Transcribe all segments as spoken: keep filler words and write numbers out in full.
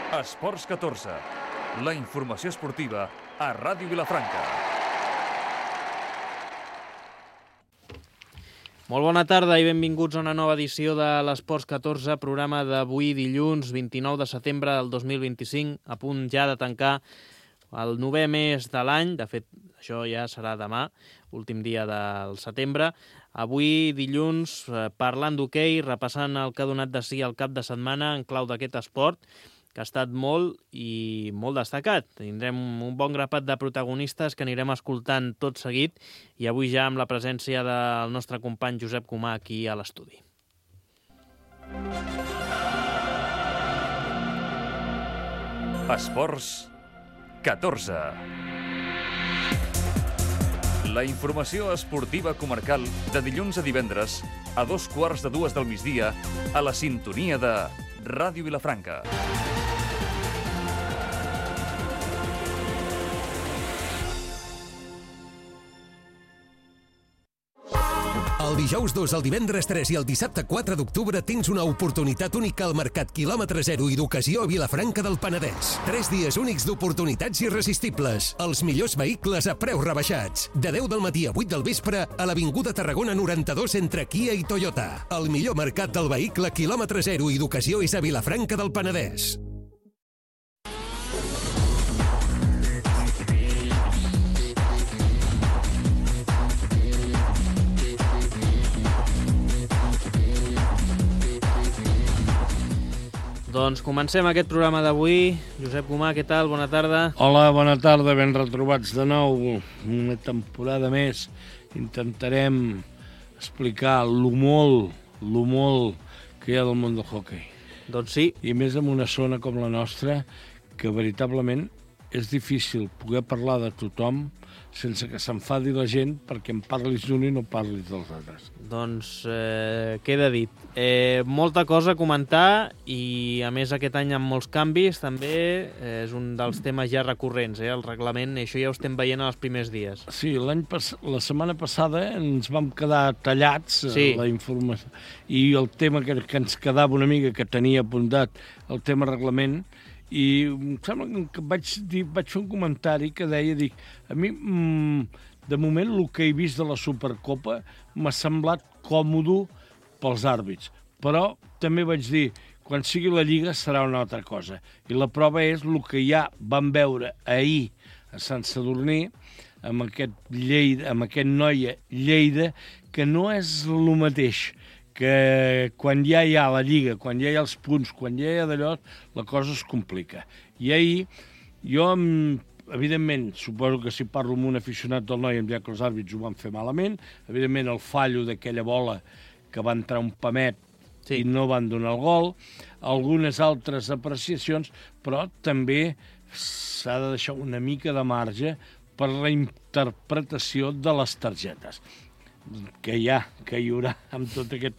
Esports catorze, la informació esportiva a Ràdio Vilafranca. Molt bona tarda i benvinguts a una nova edició de l'Esports catorze, programa d'avui dilluns vint-i-nou de setembre del dos mil vint-i-cinc, a punt ja de tancar el novè mes de l'any. De fet, això ja serà demà, últim dia del setembre. Avui dilluns, parlant d'hoquei, repassant el que ha donat de si el cap de setmana en clau d'aquest esport, que ha estat molt i molt destacat. Tindrem un bon grapat de protagonistes que anirem escoltant tot seguit i avui ja amb la presència del nostre company Josep Comà aquí a l'estudi. Esports catorze. La informació esportiva comarcal de dilluns a divendres a dos quarts de dues del migdia a la sintonia de Ràdio Vilafranca. El dijous dos, el divendres tres i el dissabte quatre d'octubre tens una oportunitat única al Mercat Quilòmetre Zero i d'Ocasió a Vilafranca del Penedès. Tres dies únics d'oportunitats irresistibles. Els millors vehicles a preus rebaixats. De deu del matí a vuit del vespre a l'Avinguda Tarragona noranta-dos entre Kia i Toyota. El millor mercat del vehicle Quilòmetre Zero i d'Ocasió és a Vilafranca del Penedès. Doncs comencem aquest programa d'avui. Josep Comà, què tal? Bona tarda. Hola, bona tarda, ben retrobats de nou. Una temporada més. Intentarem explicar lo molt, lo molt que hi ha del món del hoquei. Doncs sí. I més en una zona com la nostra, que veritablement és difícil poder parlar de tothom sense que s'enfadi la gent perquè en parlis d'un i no parlis dels altres. Doncs eh, queda dit. Eh, molta cosa a comentar i, a més, aquest any amb molts canvis també eh, és un dels temes ja recurrents, eh, el reglament, i això ja ho estem veient els primers dies. Sí, l'any pas... la setmana passada ens vam quedar tallats sí. la informació i el tema que, que ens quedava una mica, que tenia apuntat el tema reglament, i em sembla que vaig, dir, vaig fer un comentari que deia, dic, a mi, mmm, de moment, el que he vist de la Supercopa m'ha semblat còmode pels àrbits, però també vaig dir, quan sigui la Lliga serà una altra cosa. I la prova és el que ja vam veure ahir a Sant Sadurní, amb aquest, Lleida, amb aquest Noia Lleida, que no és el mateix, que quan ja hi ha la Lliga, quan ja hi ha els punts, quan ja hi ha d'allò, la cosa es complica. I ahir, jo, evidentment, suposo que si parlo amb un aficionat del Noi, em dirà que els àrbits ho van fer malament, evidentment el fallo d'aquella bola que va entrar un pamet sí. i no van donar el gol, algunes altres apreciacions, però també s'ha de deixar una mica de marge per la interpretació de les targetes que hi ha, que hi haurà amb tot aquest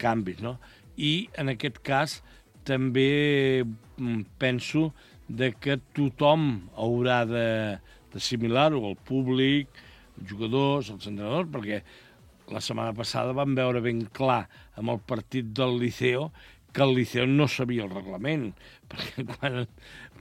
canvis, no? I en aquest cas també penso de que tothom haurà d'assimilar-ho, el públic, els jugadors, els entrenadors, perquè la setmana passada vam veure ben clar amb el partit del Liceo que el Liceo no sabia el reglament, perquè quan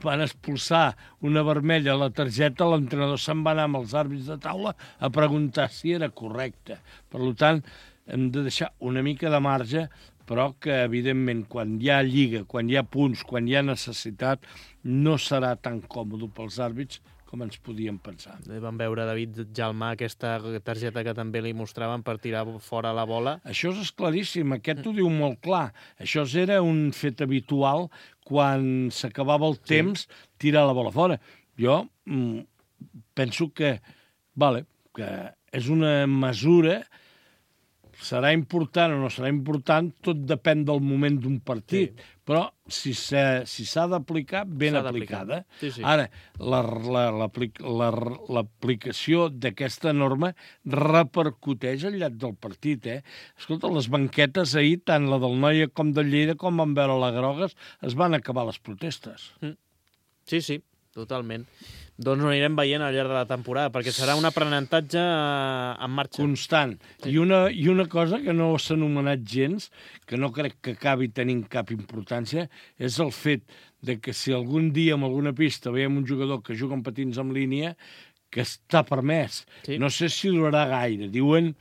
van expulsar una vermella a la targeta, l'entrenador se'n va anar amb els àrbits de taula a preguntar si era correcte. Per tant, hem de deixar una mica de marge, però que, evidentment, quan hi ha lliga, quan hi ha punts, quan hi ha necessitat, no serà tan còmode pels àrbits com ens podíem pensar. Vam veure David Jalmà, aquesta targeta que també li mostraven per tirar fora la bola. Això és claríssim, aquest ho diu molt clar. Això era un fet habitual quan s'acabava el temps, sí. tirar la bola fora. Jo mm, penso que, vale, que és una mesura, serà important o no serà important, tot depèn del moment d'un partit. Sí. Però si s'ha si d'aplicar, ben aplicada. Sí, sí. Ara, l'aplicació d'aquesta norma repercuteix al llarg del partit. Eh? Escolta, les banquetes ahir, tant la del Noia com del Lleida, com van veure la Grogues, es van acabar les protestes. Sí, sí, totalment. Doncs ho anirem veient al llarg de la temporada, perquè serà un aprenentatge en marxa. Constant. Sí. I, una, I una cosa que no s'ha anomenat gens, que no crec que acabi tenint cap importància, és el fet de que si algun dia en alguna pista veiem un jugador que juga amb patins en línia, que està permès. Sí. No sé si durarà gaire. Diuen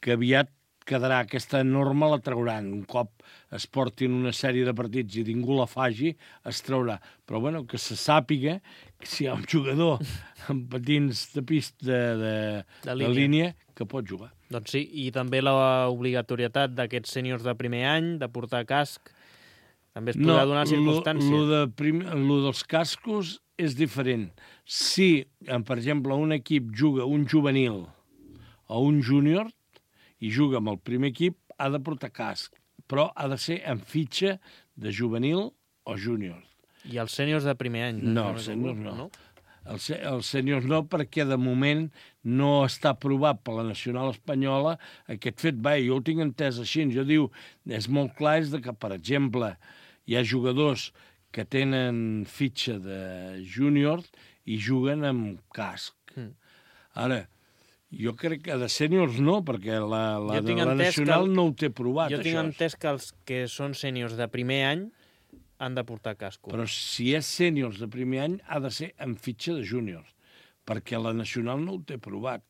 que aviat quedarà, aquesta norma la trauran. Un cop es portin una sèrie de partits i ningú la faci, es traurà. Però bueno, que se sàpiga que si hi ha un jugador amb patins de pista de, de, de, línia. de línia que pot jugar. Doncs sí, i també l'obligatorietat d'aquests sèniors de primer any de portar casc també es podrà no, donar circumstància. No, de prim, lo dels cascos és diferent. Si, per exemple, un equip juga un juvenil o un júnior i juga amb el primer equip, ha de portar casc, però ha de ser en fitxa de juvenil o júnior. I els sèniors de primer any? No, els sèniors no. no? Els, els sèniors no, perquè de moment no està aprovat per la Nacional Espanyola aquest fet. Va, jo ho tinc entès així. Jo diu, és molt clar, és de que, per exemple, hi ha jugadors que tenen fitxa de júnior i juguen amb casc. Mm. Ara, jo crec que de sèniors no, perquè la, la, de la Nacional el, no ho té provat, jo això. Jo tinc entès que els que són sèniors de primer any han de portar casco. Però si és sèniors de primer any, ha de ser en fitxa de júniors, perquè la Nacional no ho té provat.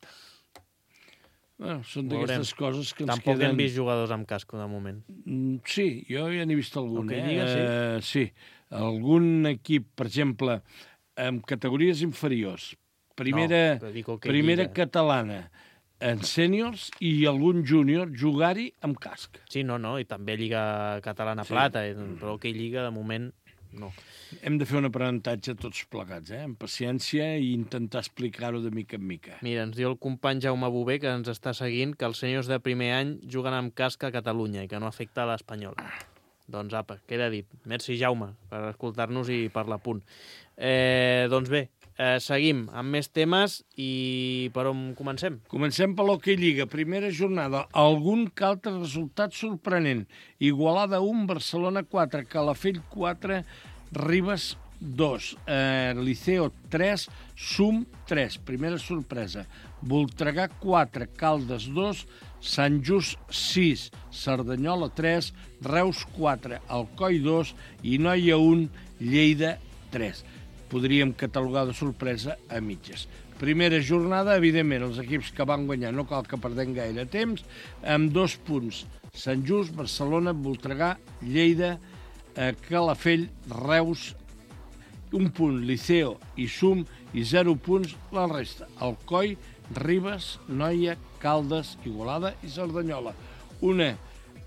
Bueno, són d'aquestes coses que ens Tampoc queden... Tampoc hem vist jugadors amb casco, de moment. Mm, sí, jo ja n'he vist algun. Okay, eh? lliga, sí. Uh, sí, algun equip, per exemple, amb categories inferiors, primera, no, primera catalana, en sèniors i algun júnior jugar-hi amb casc. Sí, no, no, i també Lliga Catalana sí. Plata, però que Lliga, de moment, no. Hem de fer un aprenentatge tots plegats, eh? amb paciència i intentar explicar-ho de mica en mica. Mira, ens diu el company Jaume Bové, que ens està seguint, que els sèniors de primer any juguen amb casc a Catalunya i que no afecta a l'Espanyol. Doncs apa, queda dit. Merci, Jaume, per escoltar-nos i per l'apunt. Eh, doncs bé, Eh, seguim amb més temes i per on comencem? Comencem per l'Hockey Lliga. Primera jornada. Algun que altre resultat sorprenent. Igualada un, Barcelona quatre, Calafell quatre, Ribes dos, eh, Liceo tres, Sum tres. Primera sorpresa. Voltregà quatre, Caldes dos, Sant Just sis, Cerdanyola tres, Reus quatre, Alcoi dos i Noia un, Lleida tres. Podríem catalogar de sorpresa a mitges. Primera jornada, evidentment, els equips que van guanyar, no cal que perdem gaire temps, amb dos punts. Sant Just, Barcelona, Voltregà, Lleida, eh, Calafell, Reus, un punt, Liceo i Sum, i zero punts la resta. Alcoi, Ribes, Noia, Caldes, Igualada i Cerdanyola. Una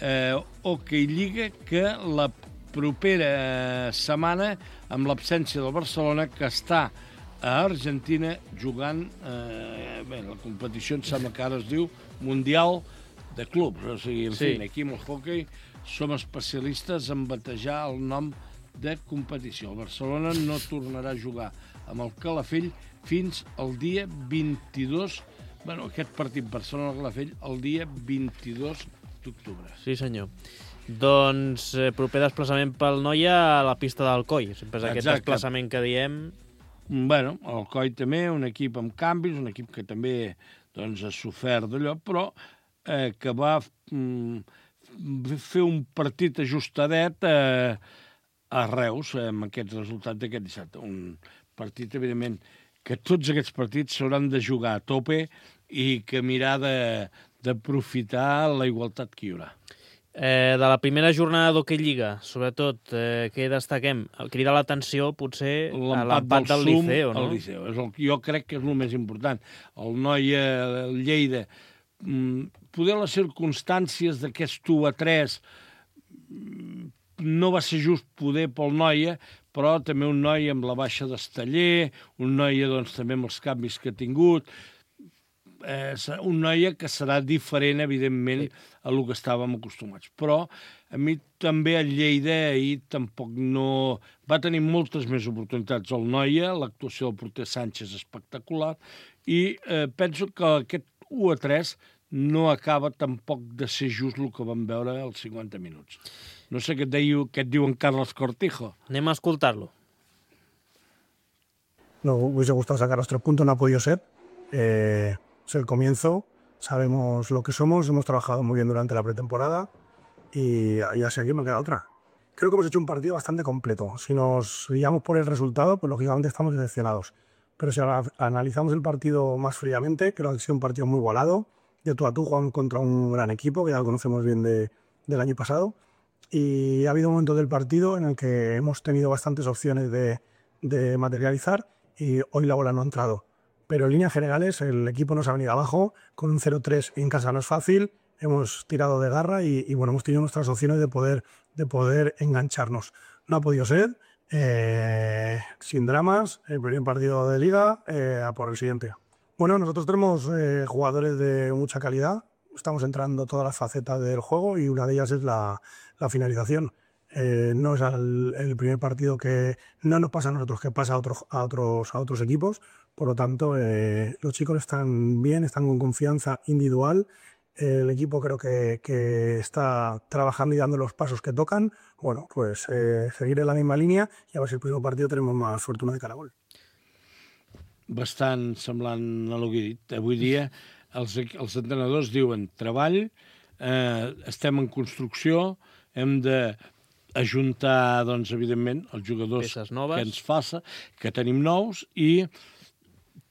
eh, Hockey Lliga que la propera setmana, amb l'absència del Barcelona, que està a Argentina jugant, eh, bé, la competició em sembla que ara es diu Mundial de Clubs, o sigui, en sí. fi, aquí amb el hockey som especialistes en batejar el nom de competició. El Barcelona no tornarà a jugar amb el Calafell fins al dia vint-i-dos, bueno, aquest partit Barcelona-Calafell, el dia vint-i-dos d'octubre. Sí, senyor. Doncs eh, proper desplaçament pel Noia a la pista d'Alcoi. Sempre és aquest Exacte. desplaçament que diem. Bueno, Alcoi també, un equip amb canvis, un equip que també doncs, ha sofert d'allò, però eh, que va mm, fer un partit ajustadet eh, a Reus amb aquest resultat d'aquest dissabte. Un partit, evidentment, que tots aquests partits s'hauran de jugar a tope i que mirar d'aprofitar la igualtat que hi haurà. Eh, de la primera jornada d'Hockey Lliga, sobretot, eh, què destaquem? Crida l'atenció, potser, l'empat del, del Liceo, no? El Liceo. És el, jo crec que és el més important. El Noia, el Lleida, poder les circumstàncies d'aquest u a tres no va ser just poder pel Noia, però també un Noia amb la baixa d'Esteller, un Noia doncs, també amb els canvis que ha tingut, eh, un Noia que serà diferent, evidentment, sí. a lo que estàvem acostumats. Però a mi també el Lleida ahir tampoc no... Va tenir moltes més oportunitats el Noia, l'actuació del porter Sánchez espectacular, i eh, penso que aquest u a tres no acaba tampoc de ser just el que vam veure als cinquanta minuts. No sé què et, deia, què et diu en Carles Cortijo. Anem a escoltar-lo. nos hubiese gustado sacar los tres puntos, no ha podido ser. Eh, es el comienzo, sabemos lo que somos, hemos trabajado muy bien durante la pretemporada y ya sé, aquí me queda otra. Creo que hemos hecho un partido bastante completo. Si nos guiamos por el resultado, pues lógicamente estamos decepcionados. Pero si analizamos el partido más fríamente, creo que ha sido un partido muy igualado. De tú a tú jugamos contra un gran equipo, que ya lo conocemos bien de, del año pasado. Y ha habido un momento del partido en el que hemos tenido bastantes opciones de, de materializar y hoy la bola no ha entrado. Pero en líneas generales el equipo nos ha venido abajo, con un cero tres en casa no es fácil, hemos tirado de garra y, y bueno, hemos tenido nuestras opciones de poder, de poder engancharnos. No ha podido ser, eh, sin dramas, el primer partido de liga, eh, a por el siguiente. Bueno, nosotros tenemos eh, jugadores de mucha calidad, estamos entrando todas las facetas del juego y una de ellas es la, la finalización. Eh, no es el, el primer partido que no nos pasa a nosotros, que pasa a otros, a otros, a otros equipos. Por lo tanto, eh, los chicos están bien, están con confianza individual. El equipo creo que, que está trabajando y dando los pasos que tocan. Bueno, pues eh, seguir en la misma línea i a veure si el primer partido tenemos más fortuna de cara a gol. Bastant semblant a el que he dit. Avui dia els, els entrenadors diuen treball, eh, estem en construcció, hem de ajuntar, doncs, evidentment, els jugadors que ens faça, que tenim nous, i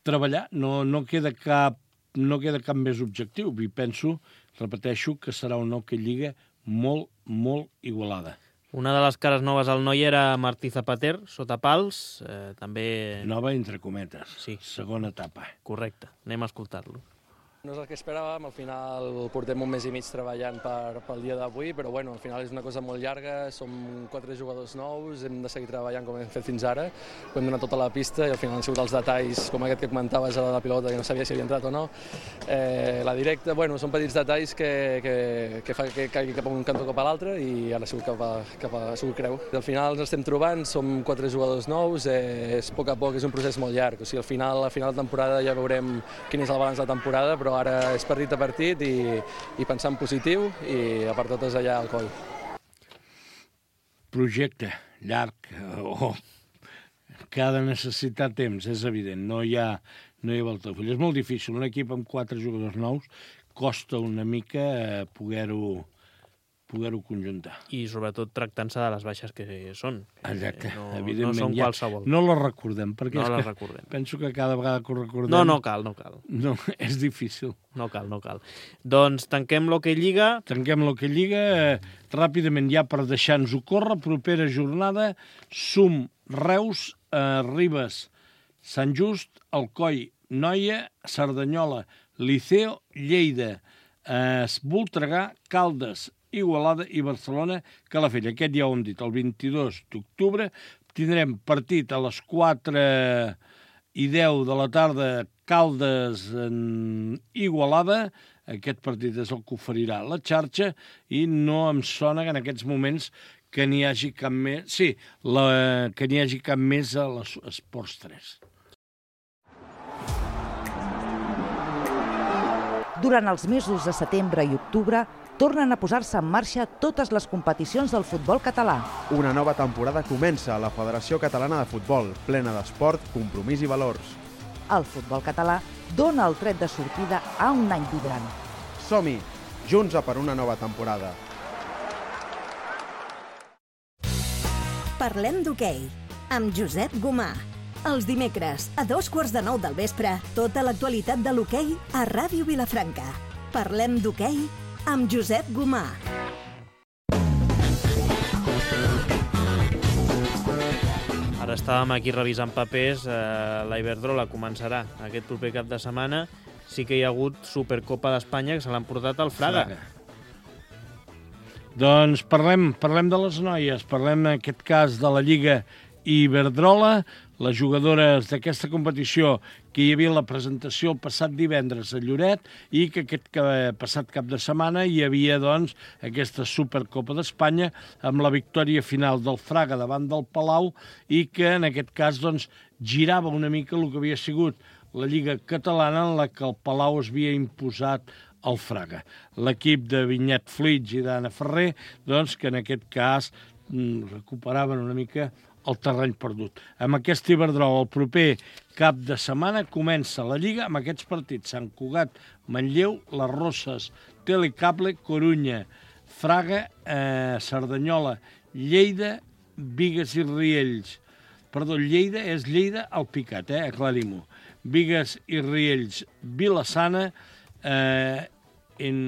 treballar. No, no queda cap no queda cap més objectiu. I penso, repeteixo, que serà una Hockey Lliga molt, molt igualada. Una de les cares noves al noi era Martí Zapater, sota pals. Eh, també... Nova, entre cometes. Sí. Segona etapa. Correcte. Anem a escoltar-lo. No és el que esperàvem, al final portem un mes i mig treballant per, pel dia d'avui, però bueno, al final és una cosa molt llarga, som quatre jugadors nous, hem de seguir treballant com hem fet fins ara, hem donat tota la pista i al final han sigut els detalls, com aquest que comentaves a la pilota, que no sabia si havia entrat o no. Eh, la directa, bueno, són petits detalls que, que, que fa que caigui cap a un cantó cap a l'altre i ara ha sigut cap a, cap a ha sigut creu. Al final ens estem trobant, som quatre jugadors nous, eh, és a poc a poc, és un procés molt llarg, o sigui, al final, a final de temporada ja veurem quin és el balanç de la temporada, però ara és partit a partit i, i pensar en positiu i a part totes allà al coll. Projecte llarg o que ha de necessitar temps, és evident, no hi ha, no hi ha voltafull. És molt difícil, un equip amb quatre jugadors nous costa una mica poder-ho poder-ho conjuntar. I sobretot tractant-se de les baixes que són. Exacte, no, evidentment. No són ja qualsevol. No les recordem, perquè no és les que recordem. Penso que cada vegada que ho recordem... No, no cal, no cal. No, és difícil. No cal, no cal. Doncs tanquem l'Hockey Lliga. Tanquem l'Hockey Lliga. Eh, ràpidament ja per deixar-nos-ho córrer, propera jornada, Sum, Reus, eh, Ribes, Sant Just, Alcoi, Noia, Cerdanyola, Liceo, Lleida, eh, Voltregà, Caldes, Igualada i Barcelona, Calafell. Aquest ja ho hem dit, el vint-i-dos d'octubre tindrem partit a les quatre i deu de la tarda, Caldes en Igualada. Aquest partit és el que oferirà la xarxa i no em sona que en aquests moments que n'hi hagi cap més... Sí, la, que n'hi hagi cap més a l'Esports tres. Durant els mesos de setembre i octubre tornen a posar-se en marxa totes les competicions del futbol català. Una nova temporada comença a la Federació Catalana de Futbol, plena d'esport, compromís i valors. El futbol català dona el tret de sortida a un any vibrant. Som-hi, junts a per una nova temporada. Parlem d'hoquei, amb Josep Gomà. Els dimecres, a dos quarts de nou del vespre, tota l'actualitat de l'hoquei a Ràdio Vilafranca. Parlem d'hoquei amb Josep Gomà. Ara estàvem aquí revisant papers, eh, la Iberdrola començarà aquest proper cap de setmana. Sí que hi ha hagut Supercopa d'Espanya que se l'han portat al Fraga. Fraga. Doncs parlem, parlem de les noies, parlem en aquest cas de la Lliga Iberdrola, les jugadores d'aquesta competició que hi havia la presentació el passat divendres a Lloret i que aquest passat cap de setmana hi havia doncs aquesta Supercopa d'Espanya amb la victòria final del Fraga davant del Palau i que en aquest cas doncs girava una mica el que havia sigut la Lliga Catalana en la que el Palau es havia imposat al Fraga. L'equip de Vinyet Flits i d'Anna Ferrer doncs que en aquest cas recuperaven una mica el terreny perdut. Amb aquest Iberdrola, el proper cap de setmana, comença la Lliga amb aquests partits. Sant Cugat, Manlleu, Les Roses, Telecable, Corunya, Fraga, eh, Cerdanyola, Lleida, Bigues i Riells. Perdó, Lleida és Lleida al Picat, eh? Aclarim-ho. Bigues i Riells, Vila-sana, eh, en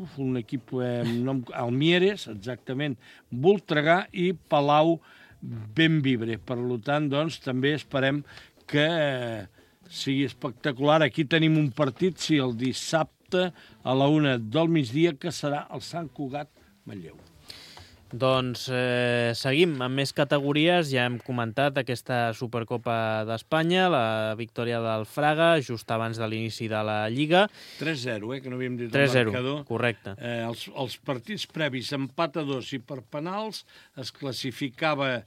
uf, un equip eh, nom, Almieres, exactament, Voltregà i Palau Benvibre. Per tant, doncs, també esperem que eh, sigui espectacular. Aquí tenim un partit, sí, el dissabte a la una del migdia, que serà el Sant Cugat-Manlleu. Doncs eh, seguim amb més categories. Ja hem comentat aquesta Supercopa d'Espanya, la victòria del Fraga, just abans de l'inici de la Lliga. tres zero, eh, que no havíem dit tres zero, el marcador. correcte. Eh, els, els partits previs, empat a dos i per penals, es classificava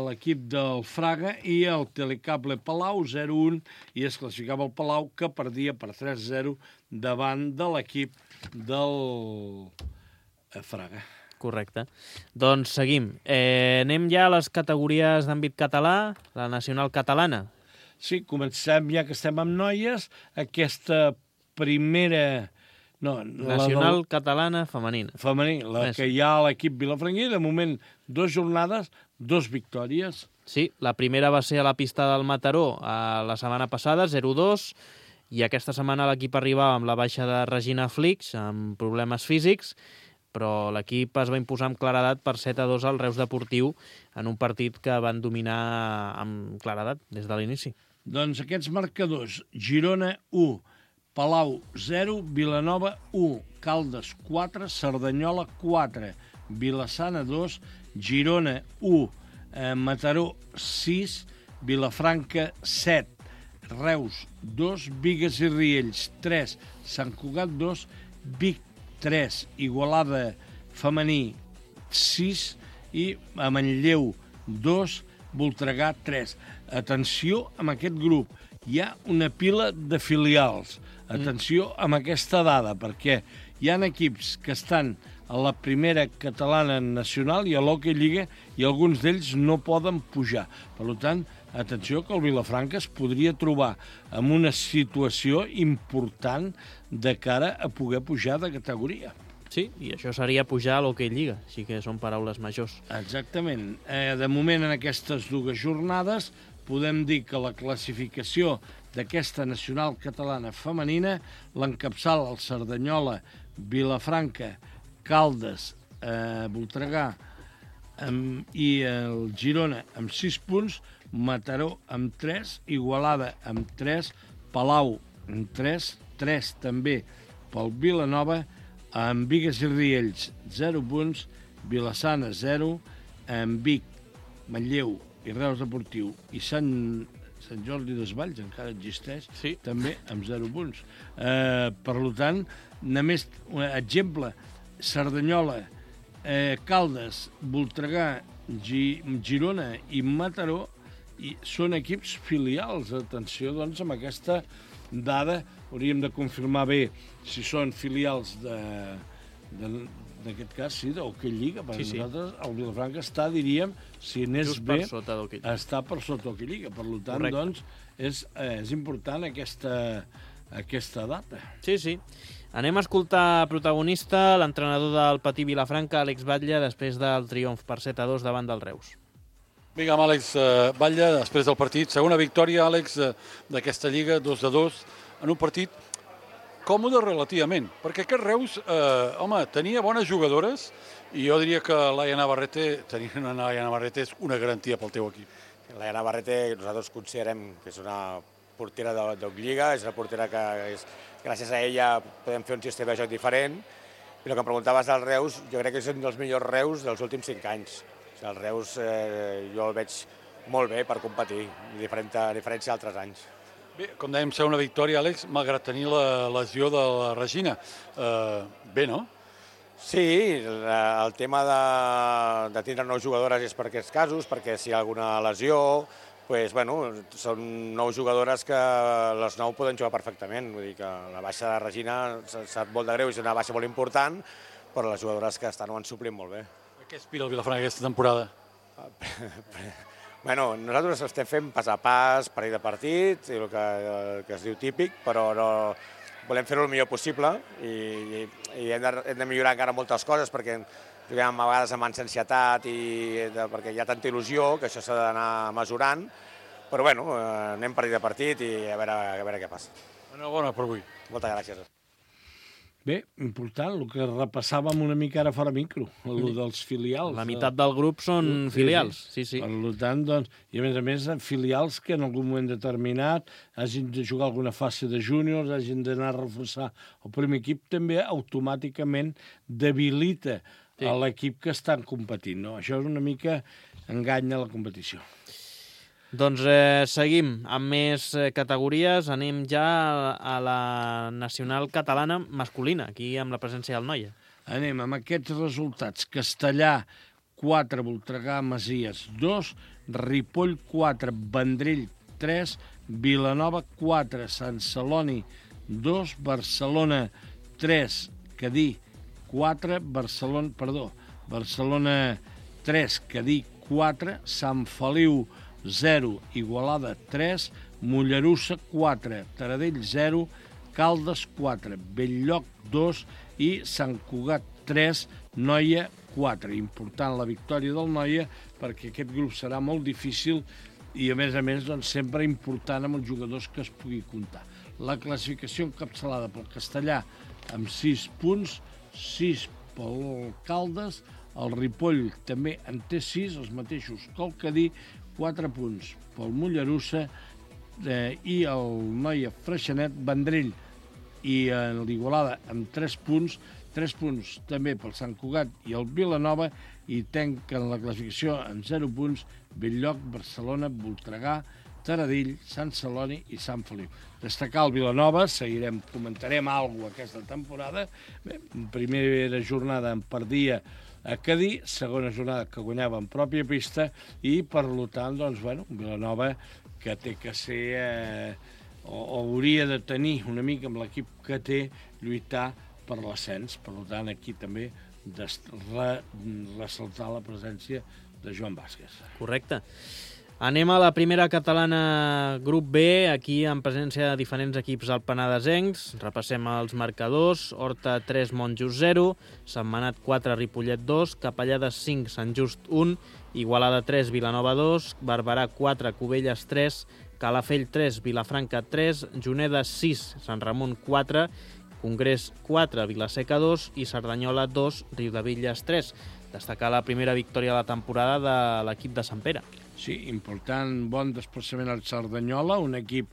l'equip del Fraga i el Telecable Palau zero un, i es classificava el Palau, que perdia per tres zero davant de l'equip del Fraga. Correcte. Doncs seguim. Eh, anem ja a les categories d'àmbit català, la nacional catalana. Sí, comencem, ja que estem amb noies, aquesta primera... No, nacional la catalana femenina. Femení, la Més. que hi ha a l'equip vilafranquí, de moment, dues jornades, dos victòries. Sí, la primera va ser a la pista del Mataró a la setmana passada, zero dos, i aquesta setmana l'equip arribava amb la baixa de Regina Flix, amb problemes físics, però l'equip es va imposar amb claredat per set a dos al Reus Deportiu en un partit que van dominar amb claredat des de l'inici. Doncs aquests marcadors: Girona u, Palau zero, Vilanova u, Caldes quatre, Cerdanyola quatre, Vila-sana dos, Girona u, eh, Mataró sis, Vilafranca set, Reus dos, Bigues i Riells tres, Sant Cugat dos, Vic tres, Igualada femení sis i a Manlleu dos, Voltregà tres. Atenció amb aquest grup, hi ha una pila de filials. Atenció amb aquesta dada, perquè hi ha equips que estan a la primera catalana nacional i a l'Hockey Lliga i alguns d'ells no poden pujar. Per tant, atenció que el Vilafranca es podria trobar en una situació important de cara a poder pujar de categoria. Sí, i això seria pujar a l'Hockey Lliga, així que són paraules majors. Exactament. Eh, de moment, en aquestes dues jornades, podem dir que la classificació d'aquesta nacional catalana femenina l'encapçala el Cerdanyola, Vilafranca, Caldes, eh, Voltregà amb, i el Girona amb sis punts, Mataró amb tres, Igualada amb tres, Palau amb tres, tres també pel Vilanova, amb Bigues i Riells zero punts, Vila-sana zero, amb Vic, Manlleu i Reus Deportiu i Sant, Sant Jordi Desvalls encara existeix, sí, també amb zero punts. Eh, per tant, només un exemple, Cerdanyola, eh, Caldes, Voltregà, Gi, Girona i Mataró i són equips filials. Atenció, doncs, amb aquesta dada hauríem de confirmar bé si són filials de, de, d'aquest cas, sí, d'Hockey Lliga. Per sí, nosaltres, sí. El Vilafranca està, diríem, si anés just bé, per sota d'Hockey Lliga. Està per sota d'Hockey Lliga. Per tant, correcte, doncs, és, és important aquesta, aquesta data. Sí, sí. Anem a escoltar protagonista, l'entrenador del Patí Vilafranca, Àlex Batlle, després del triomf per set a dos davant del Reus. Vinga, amb Àlex Batlle, després del partit. Segona victòria, Àlex, d'aquesta Lliga, dos de dos, en un partit còmode relativament, perquè aquest Reus, eh, home, tenia bones jugadores i jo diria que Laia Navarrete, tenir una Laia Navarrete és una garantia pel teu equip. Laia Navarrete nosaltres considerem que és una portera de Lliga, és una portera que és, gràcies a ella podem fer un sistema de joc diferent, i el que em preguntaves del Reus, jo crec que és un dels millors Reus dels últims cinc anys. El Reus eh, jo el veig molt bé per competir, a diferència d'altres anys. Bé, com dèiem, ser una victòria, Àlex, malgrat tenir la lesió de la Regina. Eh, bé, no? Sí, el tema de, de tindre nou jugadores és per aquests casos, perquè si hi ha alguna lesió, pues, bueno, són nou jugadores que les nou poden jugar perfectament. Vull dir que la baixa de Regina sap molt de greu, és una baixa molt important, però les jugadores que estan ho han suplint molt bé. Què aspira el Vilafranca aquesta temporada? Bueno, nosaltres estem fent pas a pas, partit a partit, el que, el que es diu típic, però no, volem fer-ho el millor possible i, i, i hem, de, hem de millorar encara moltes coses perquè juguem a vegades amb ansietat i de, perquè hi ha tanta il·lusió que això s'ha d'anar mesurant, però bueno, anem partit a partit i a veure, a veure què passa. Enhorabona per avui. Moltes gràcies. Bé, important, el que repassàvem una mica ara fora micro, el dels filials. La meitat del grup són filials, sí, sí. Per tant, doncs, i a més a més, filials que en algun moment determinat hagin de jugar alguna fase de júniors, hagin d'anar a reforçar el primer equip, també automàticament debilita sí. l'equip que estan competint. No? Això és una mica enganya la competició. Doncs eh, seguim amb més eh, categories. Anem ja a la nacional catalana masculina, aquí amb la presència del Noia. Anem amb aquests resultats. Castellà, quatre, Voltregà, Masies, dos, Ripoll, quatre, Vendrell, tres, Vilanova, quatre, Sant Celoni, dos, Barcelona, tres, Cadí, quatre, Barcelona, perdó, Barcelona, tres, Cadí, quatre, Sant Feliu, zero, Igualada, tres, Mollerussa, quatre, Taradell, zero, Caldes, quatre, Belllloc, dos i Sant Cugat, tres, Noia, quatre. Important la victòria del Noia perquè aquest grup serà molt difícil i, a més a més, doncs, sempre important amb els jugadors que es pugui comptar. La classificació encapçalada pel Castellà amb sis punts, sis pel Caldes, el Ripoll també en té sis, els mateixos que el Cadí, quatre punts pel Mollerussa eh, i el Noia Freixenet, Vendrell i en l'Igualada amb tres punts, tres punts també pel Sant Cugat i el Vilanova i tanquen la classificació amb zero punts Belllloc, Barcelona, Voltregà, Taradell, Sant Celoni i Sant Feliu. Destacar el Vilanova, seguirem, comentarem alguna cosa aquesta temporada. Bé, primera jornada en perdia a Cadí, segona jornada que guanyava en pròpia pista i, per tant, doncs, bueno, Vilanova que té que ser, eh, o, o hauria de tenir una mica amb l'equip que té, lluitar per l'ascens. Per tant, aquí també re, ressaltar la presència de Joan Vázquez. Correcte. Anem a la primera catalana grup B, aquí en presència de diferents equips alpenadesencs. Repassem els marcadors. Horta tres, Monjos zero, Sentmenat quatre, Ripollet dos, Capellades cinc, Sant Just un, Igualada tres, Vilanova dos, Barberà quatre, Cubelles tres, Calafell tres, Vilafranca tres, Juneda sis, Sant Ramon quatre, Congrés quatre, Vilaseca dos i Cerdanyola dos, Riudebitlles tres. Destacar la primera victòria de la temporada de l'equip de Sant Pere. Sí, important, bon desplaçament al Cerdanyola, un equip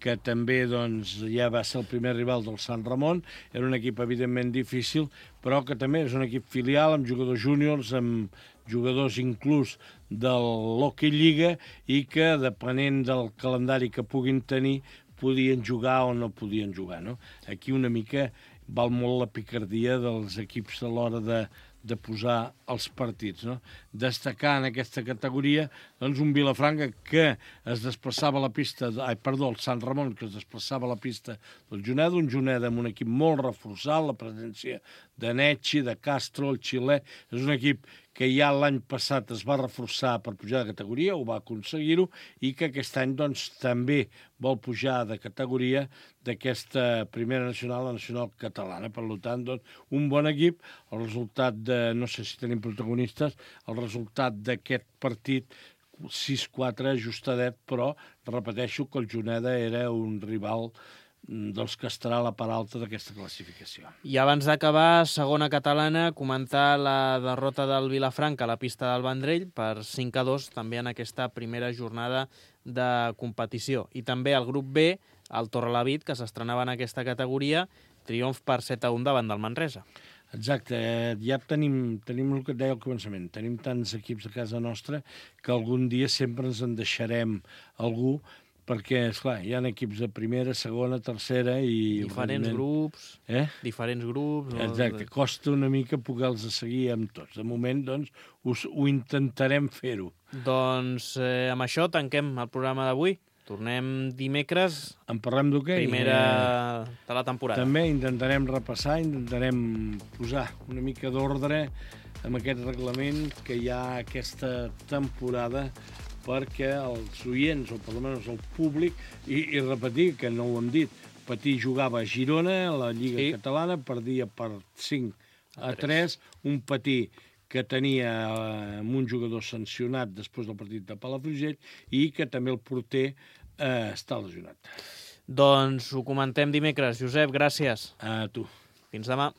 que també doncs, ja va ser el primer rival del Sant Ramon. Era un equip evidentment difícil, però que també és un equip filial amb jugadors júniors, amb jugadors inclús de l'Hockey Lliga i que, depenent del calendari que puguin tenir, podien jugar o no podien jugar. No? Aquí una mica val molt la picardia dels equips a l'hora de, de posar els partits. No? Destacar en aquesta categoria doncs, un Vilafranca que es desplaçava a la pista, de, ai, perdó, el Sant Ramon, que es desplaçava a la pista del Juneda, un Juneda amb un equip molt reforçat, la presència de Netxi, de Castro, el xilè, és un equip que ja l'any passat es va reforçar per pujar de categoria, ho va aconseguir-ho, i que aquest any doncs, també vol pujar de categoria d'aquesta primera nacional, la nacional catalana. Per tant, doncs, un bon equip. El resultat de, no sé si tenim protagonistes, el resultat d'aquest partit sis quatre ajustadet, però repeteixo que el Juneda era un rival dels que estarà a la part alta d'aquesta classificació. I abans d'acabar, segona catalana, comentar la derrota del Vilafranca a la pista del Vendrell per cinc a dos, també en aquesta primera jornada de competició. I també el grup B, el Torrelavit, que s'estrenava en aquesta categoria, triomf per set a un davant del Manresa. Exacte, ja tenim, tenim el que et deia al començament, tenim tants equips a casa nostra que algun dia sempre ens en deixarem algú, perquè, esclar, hi ha equips de primera, segona, tercera i... Diferents grups, eh? diferents grups... Exacte, costa una mica poder-los seguir amb tots. De moment, doncs, us, ho intentarem fer-ho. Doncs eh, amb això tanquem el programa d'avui. Tornem dimecres... En parlem d'hoquei. Primera eh, de la temporada. També intentarem repassar, intentarem posar una mica d'ordre amb aquest reglament que hi ha aquesta temporada perquè els oients, o per almenys el públic, i, i repetir, que no ho hem dit, Patí jugava a Girona, a la Lliga sí. Catalana, perdia per cinc a tres, un Patí que tenia eh, un jugador sancionat després del partit de Palafrugell i que també el porter eh, està lesionat. Doncs ho comentem dimecres. Josep, gràcies. A tu. Fins demà.